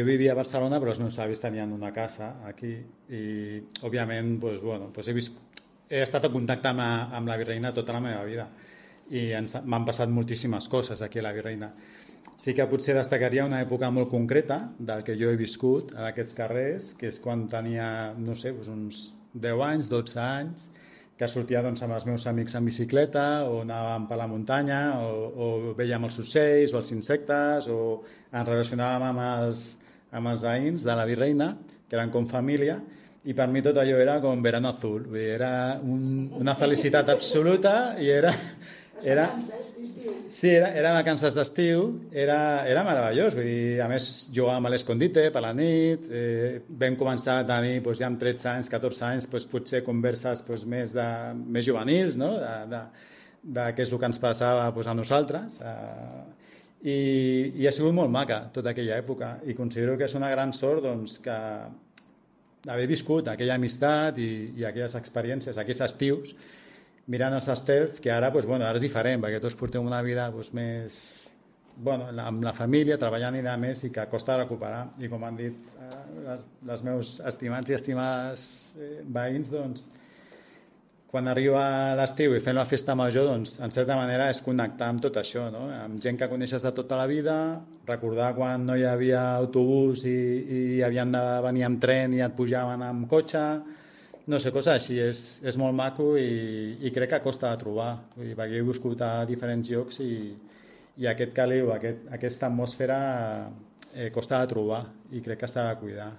Jo vivia a Barcelona, però els meus avis tenien una casa aquí i, òbviament, doncs, bueno, doncs he estat en contacte amb la Virreina tota la meva vida i m'han passat moltíssimes coses aquí a la Virreina. Sí que potser destacaria una època molt concreta del que jo he viscut en aquests carrers, que és quan tenia, no sé, doncs uns 10 anys, 12 anys, que sortia doncs, amb els meus amics en bicicleta o anàvem per la muntanya o veiem els ocells o els insectes o ens relacionàvem amb els veïns de la Virreina, que eren com família, i per mi tot allò era com verano azul, vull dir, era una felicitat absoluta i era... Sí, era vacances d'estiu, era meravellós, vull dir, a més jugàvem a l'escondite per la nit, vam començar a tenir doncs, ja amb 13 anys, 14 anys, doncs, potser converses doncs, més juvenils, no? de què és el que ens passava doncs, a nosaltres, i ha sigut molt maca tota aquella època, i considero que és una gran sort doncs, que haver viscut aquella amistat i aquelles experiències, aquells estius, mirant els estels, que ara, doncs, bueno, ara és diferent, perquè tots portem una vida doncs, més amb la família, treballant i més, i que costa recuperar. I com han dit els meus estimats i estimades veïns, doncs, quan arriba l'estiu i fem la festa major, doncs, en certa manera és connectar amb tot això, no? Amb gent que coneixes de tota la vida, recordar quan no hi havia autobús i havíem de venir amb tren i et pujaven amb cotxe, no sé, coses així, és molt maco i crec que costa de trobar, vull dir, perquè he viscut a diferents llocs i aquest caliu, aquesta atmosfera costa de trobar i crec que s'ha de cuidar.